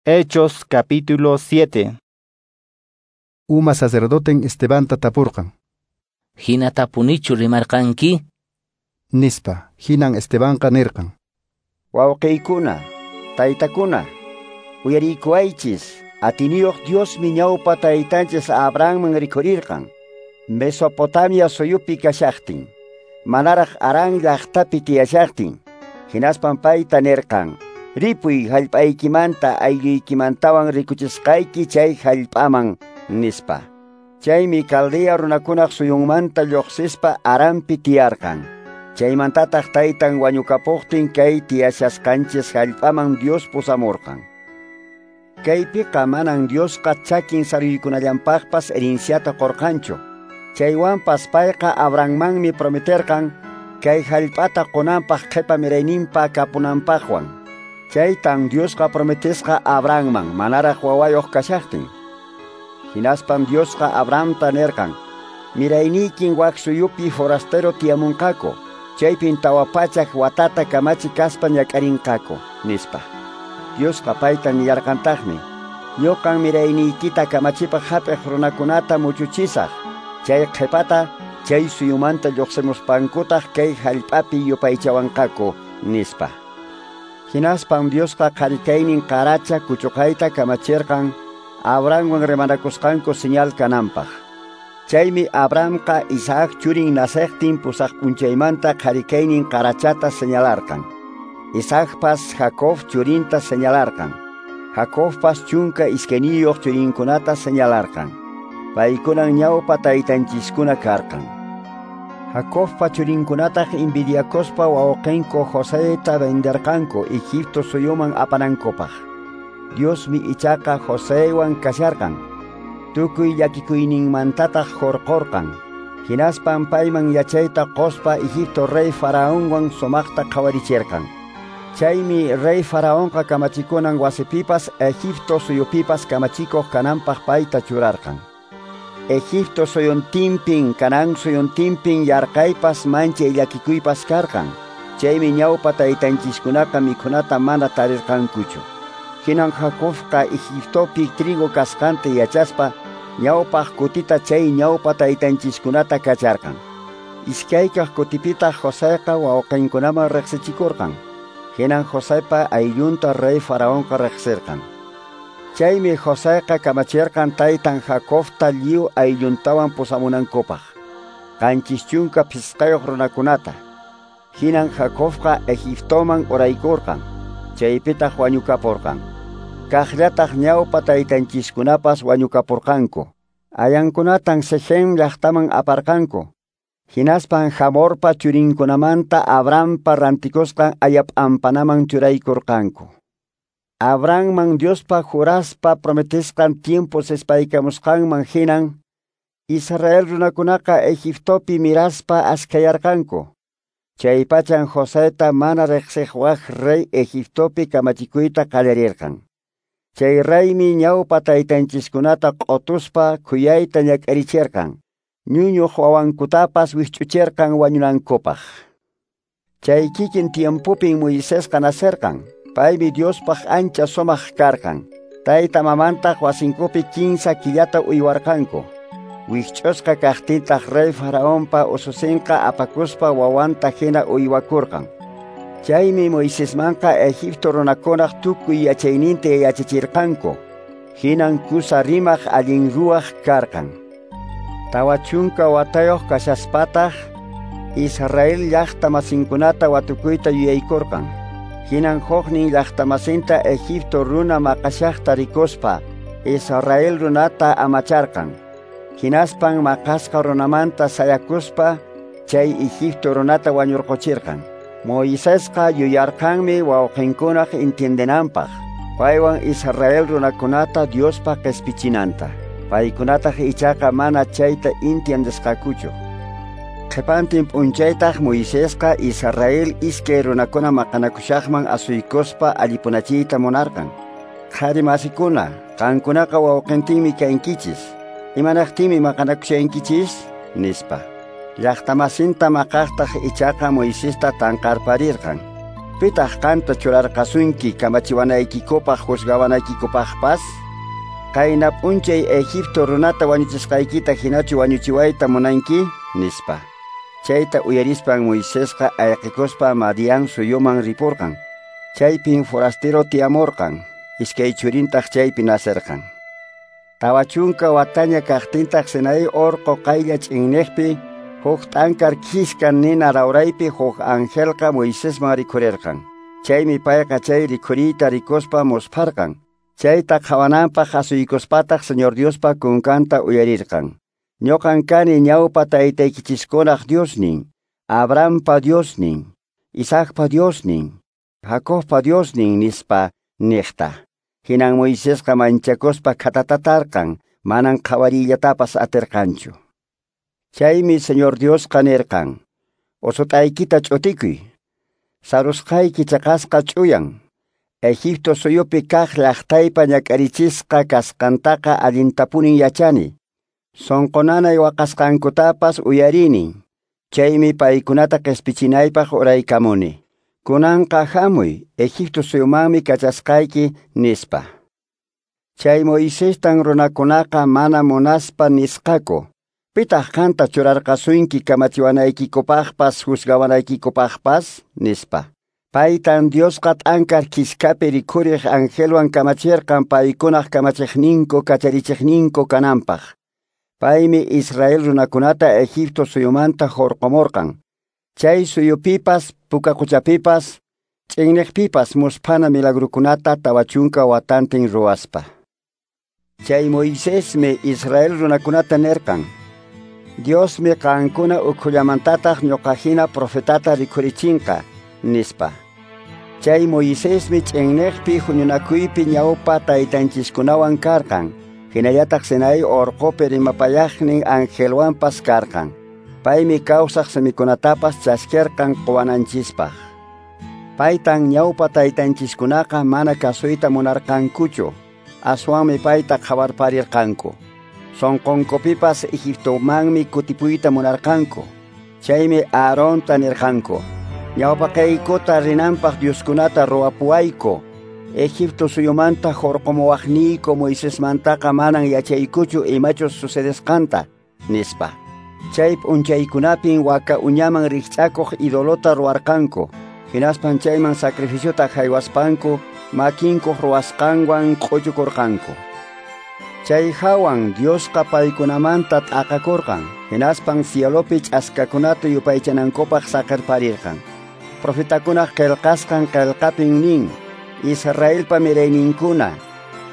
Hechos capítulo 7. Uma sacerdoten Estebanta tapurqan. Hina tapunichu rimarqanki? Nispa, hinan Estebanqa nirqan. Wawqiykuna, taytakuna, uyariykuwaychis, atiniyuq Diosmi ñawpa taytanchis Abrahamman rikhurirqan, Mesopotamia suyupi kashaqtin, manaraq Harán llaqtapi tiyashaqtin, hinaspan payta nirqan, ripuy hallp'aykimanta aylluykimantawan rikuchisqayki chay hallp'aman, nispa. Chaymi Caldea runakunaq suyunmanta lluqsispa Haranpi tiyarqan. Chaymantataq taytan wañukapuqtin kay tiyashasqanchis hallp'aman Dios pusamurqan. Kaypiqa manan Diosqa chakin saruykunallanpaqpas herenciata qurqanchu. Chaywanpas payqa Abrahammanmi prometerqan kay hallp'ata qunanpaq qhipa mirayninpa kapunanpaqwan. Chaytan Diosqa prometisqa Abrahamman manaraq wawayuq kashaqtin. Hinaspan Diosqa Abrahamta nirqan, mirayniykin wak suyupi forastero tiyamunqaku, chaypin 400 watata kamachi kaspa ñak'arinqaku, nispa. Diosqa payta nillarqantaqmi, ñuqan mirayniykita kamachipaq hap'iq runakunata muchuchisaq, chay qhipata chay suyumanta lluqsimuspankutaq kay hallp'api yupaychawanqaku, nispa. Hinaspan Diosqa qharikaynin qaracha kuchuqayta kamachirqan Abrahamwan rimanakusqanku señal kananpaq. Chaymi Abrahamqa Isaac churin naceqtin pusaq p'unchaymanta qharikaynin qarachata señalarqan. Isaacpas Jacob churinta señalarqan. Jacobpas 12 churinkunata señalarqan. Paykunan ñawpa taytanchiskuna karqan. Jacobpa churinkunataq envidiakuspa wawqinku Joseta venderqanku Egipto suyuman apanankupaq. Diosmi ichaqa Josewan kasharqan. Tukuy llakikuyninmantataq hurqurqan. Hinaspan payman yachayta quspa Egipto rey Faraonwan sumaqta qhawarichirqan. Chaymi rey Faraonqa kamachikunan wasipipas Egipto suyupipas kamachikuq kananpaq payta churarqan. Egipto suyuntinpin, Canaán suyuntinpin yarqaypas manchay llakikuypas karqan. Chaymi ñawpa taytanchiskunaqa mikhunata mana tarirqankuchu. Hinan Jacobqa Egiptopi trigo kasqanta yachaspa ñawpaq kutita chay ñawpa taytanchiskunata kacharqan. Iskaykaq kutipitaq Joseqa wawqinkunaman riqsichikurqan. Hinan Josepa ayllunta rey Faraonqa riqsirqan. Chaymi Joseqa kamachirqan taytan Jacobta lliw aylluntawan pusamunankupaq, 75 runakunata. Hinan Jacobqa Egiptoman uraykurqan, chaypitaq wañukapurqan. Kaqllataq ñawpa taytanchiskunapas wañukapurqanku. Ayankunatan Sechem llaqtaman aparqanku. Hinaspan Hamorpa churinkunamanta Abrahampa rantikusqan ayap'ampanaman churaykurqanku. Abrahamman Diospa juraspa prometisqan tiempo sispaykamusqanman hinan, Israel runakunaqa Egiptopi miraspa askayarqanku. Chaypachan Joseta mana riqsiq wak rey Egiptopi kamachikuyta qallarirqan. Chay reymi ñawpa taytanchiskunata q'utuspa khuyayta ñak'arichirqan, ñuñuq wawankutapas wikch'uchirqan wañunankupaq. Chay kikin tiempopin Moisesqa nacerqan. Paymi Diospaq ancha sumaq karqan. Tayta mamantaq wasinkupi 15 killata uywarqanku. Wikch'usqa kaqtintaq rey Faraonpa ususinqa apakuspa wawanta hina uywakurqan. Chaymi Moisesmanqa Egipto runakunaq tukuy yachayninta yachachirqanku. Hinan kusa rimaq allin ruwaq karqan. 40 watayuq kashaspataq Israel llaqta masinkunata watukuyta yuyaykurqan. Hinan huknin llaqtamasinta Egipto runa maqashaqta rikuspa Israel runata amacharqan. Hinaspan maqasqa runamanta sayakuspa chay Egipto runata wañurquchirqan. Moisesqa yuyarqanmi wawqinkunaq entiendenanpaq, paywan Israel runakunata Diospa qispichinanta. Paykunataq ichaqa mana chayta entiendesqakuchu. Qhipantin p'unchaytaq Moisesqa Israel iskay runakuna maqanakushaqman asuykuspa allipunachiyta munarqan. Qhari masikuna, qankunaqa wawqintinmi kankichis. Imanaqtinmi maqanakushankichis? Nispa. Llaqtamasinta maqaqtaq ichaqa Moisesta tanqarparirqan. Pitaq qanta churarqasunki kamachiwanaykikupaq juzgawanaykikupaqpas? Qayna p'unchay Egipto runata wañuchisqaykita hinachu wañuchiwayta munanki? Nispa. Chayta uyarispan Moisesqa ayqikuspa Madián suyuman ripurqan. Chaypin forastero tiyamurqan, iskay churintaq chaypi nacerqan. 40 wataña kaqtintaq Sinaí orqo qaylla ch'inniqpi huk t'ankar khiska nina rawraypi huk angelqa Moisesman rikhurirqan. Chaymi payqa chay rikhuriyta rikuspa muspharqan. Chayta qhawananpaq asuykuspataq Señor Diospa kunkanta uyarirqan. Ñuqan kani ñawpa taytaykichiskunaq Diosnin, Abrahampa Diosnin, Isaacpa Diosnin, Jacobpa Diosnin nispa niqta. Hinan Moisesqa manchakuspa khatatatarqan, manan qhawariyllatapas atirqanchu. Chaymi Señor Diosqa nirqan: Usut'aykita ch'utikuy, sarusqayki chaqasqa ch'uyan. Egipto suyupi kaq llaqtaypa ñak'arichisqa kasqantaqa allintapunin yachani. Sonqonanay waqasqankutapas uyarini. Chaymi paykunata qhispichinaypaq uraykamuni. Kunanqa hamuy, Egipto suyumanmi kachasqayki, nispa. Chay Moisestan runakunaqa mana munaspa nisqaku: Pitaq qanta churarqasunki kamachiwanaykikupaqpas juzgawanaykikupaqpas? Nispa. Paytan Diosqa t'ankar khiskapi rikhuriq angelwan kamachirqan paykunaq kamachiqninku kacharichiqninku kananpaq. Paymi Israel runakunata Egipto suyumanta hurqumurqan. Chay suyupipas, puka quchapipas, ch'inniqpipas musphana milagrukunata 40 watantin ruwaspa. Chay Moisesmi Israel runakunata nirqan: Diosmi qankuna ukhullamantataq ñuqahina profetata rikhurichinqa, nispa. Chay Moisesmi ch'inniqpi huñunakuypi ñawpa taytanchiskunawan karqan, hinallataq Sinaí orqopi rimapayaqnin angelwanpas karqan. Paymi kawsaq simikunatapas chaskirqan quwananchispaq. Paytan ñawpa taytanchiskunaqa mana kasuyta munarqankuchu, aswanmi payta qhawarparirqanku. Sonqonkupipas Egiptomanmi kutipuyta munarqanku. Chaymi Aaronta nirqanku: Ñawpaqaykuta rinanpaq Dioskunata ruwapuwayku. Egipto suyumanta hurqumuwaqniyku Moisesmantaqa manan yachaykuchu imachus sucedesqanta, nispa. Chay p'unchaykunapin waka uñaman rikch'akuq idolota ruwarqanku. Hinaspan chayman sacrificiota haywaspanku makinkuq ruwasqanwan q'uchukurqanku. Chay hawan Diosqa paykunamanta t'aqakurqan, hinaspan cielopi ch'askakunata yupaychanankupaq saqirparirqan. Profetakunaq qillqasqan qillqapin nin: Israelpa mirayninkuna,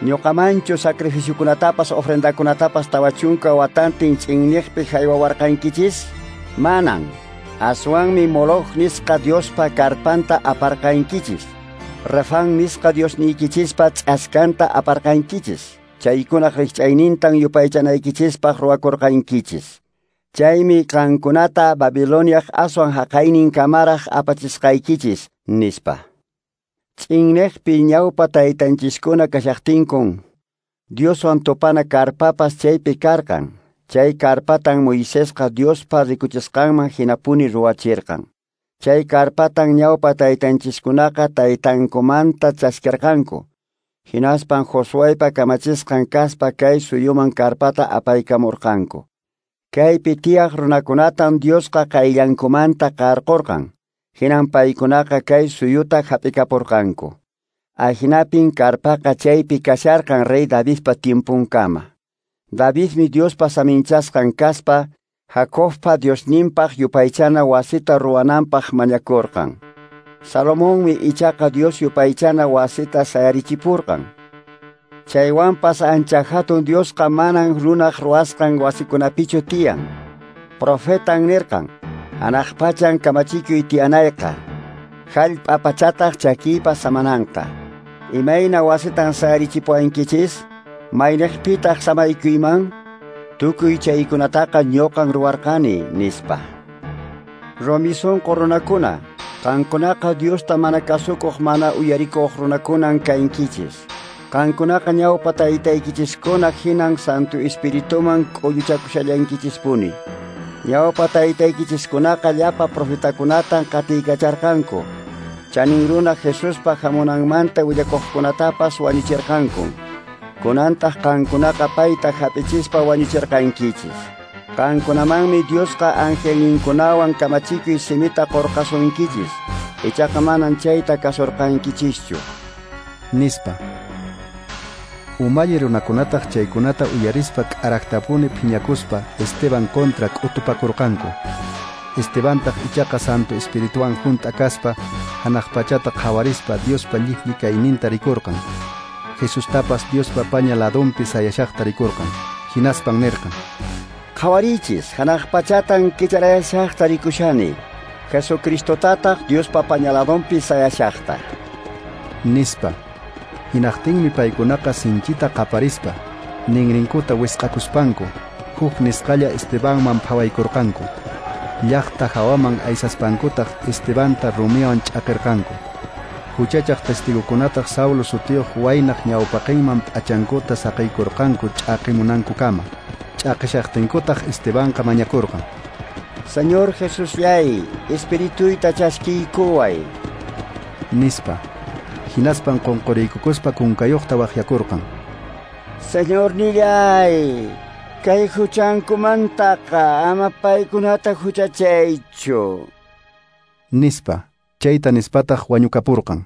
ñuqamanchu sacrificiokunatapas ofrendakunatapas 40 watantin ch'inniqpi haywawarqankichis? Manan. Aswanmi Moloch nisqa Diospa karpanta aparqankichis. Refán nisqa Diosniykichispa ch'askanta aparqankichis. Chaykunaq rikch'aynintan yupaychanaykichispaq ruwakurqankichis. Chaymi qankunata Babiloniaq aswan haqaynin kamaraq apachisqaykichis, nispa. Ch'inniqpi ñawpa taytanchiskuna kashaqtinkun, Dioswan tupana karpapas chaypi karqan. Chay karpatan Moisesqa Diospa rikuchisqanman hinapuni ruwachirqan. Chay karpatan ñawpa taytanchiskunaqa taytankumanta chaskirqanku. Hinaspan Josuepa kamachisqan kaspa kay suyuman karpata apaykamurqanku. Kaypi tiyaq runakunatan Diosqa qayllankumanta qarqurqan. Hinan paykunaqa kay suyuta hap'ikapurqanku. Ahinapin karpaqa chaypi kasharqan rey Davidpa tiempunkama. Davidmi Diospa saminchasqan kaspa Jacobpa Diosninpaq yupaychana wasita ruwananpaq mañakurqan. Salomonmi ichaqa Dios yupaychana wasita sayarichipurqan. Chaywanpas ancha hatun Diosqa manan runaq ruwasqan wasikunapichu tiyan. Profetan nirqan: Hanaq pachan kamachikuy tiyanayqa, hallp'a pachataq chakiypa samananqa. Imayna wasitan sayarichipuwankichis? Mayniqpitaq samaykuyman? Tukuy chaykunataqa ñuqan ruwarqani, nispa. Rumi sunqu runakuna, qankunaqa Diosta mana kasukuq mana uyarikuq runakunan kankichis. Qankunaqa ñawpa taytaykichiskuna hinan Santo Espirituman k'ulluchakushallankichispuni. Ñawpa taytaykichiskunaqa llapa profetakunatan qatiykacharqanku. Chanin runa Jesuspa hamunanmanta willakuqkunatapas wañuchirqanku. Kunantaq qankunaqa payta hap'ichispa wañuchirqankichis. Qankunamanmi Diosqa angelninkunawan kamachikuy simita qurqasunkichis. Ichaqa manan chayta kasurqankichischu. Nispa. Umalli runakunataq chaykunata uyarispa k'araqtapuni phiñakuspa Esteban kontra k'utupakurqanku. Estebantaq ichaqa Santo Espirituwan hunt'a kaspa hanaq pachata qhawarispa Diospa llipli kayninta rikurqan. Jesustapas Diospa paña ladunpi sayashaqta rikurqan. Hinaspan nirqan: Qhawarichis, hanaq pachatan kicharayashaqta rikushani. Jesucristotataq Diospa paña ladunpi sayashaqta. Nispa. Hinaqtinmi paykunaqa sinchita qaparispa, ninrinkuta wisq'akuspanku, huk nisqalla Estebanman phawaykurqanku. Llaqta hawaman aysaspankutaq Estebanta rumiwan ch'aqirqanku. Huchachaq testigukunataq Saulo sutiyuq waynaq ñawpaqinman p'achankuta saqiykurqanku ch'aqimunankukama. Ch'aqishaqtinkutaq Estebanqa mañakurqan: Señor Jesusllay, espirituyta chaskiykuway. Nispa. Hinaspan qunquriykukuspa kunkayuqta waqyakurqan: Señornillay, kay huchankumantaqa ama paykunata huchachaychu. Nispa. Chayta nispataq wañukapurqan.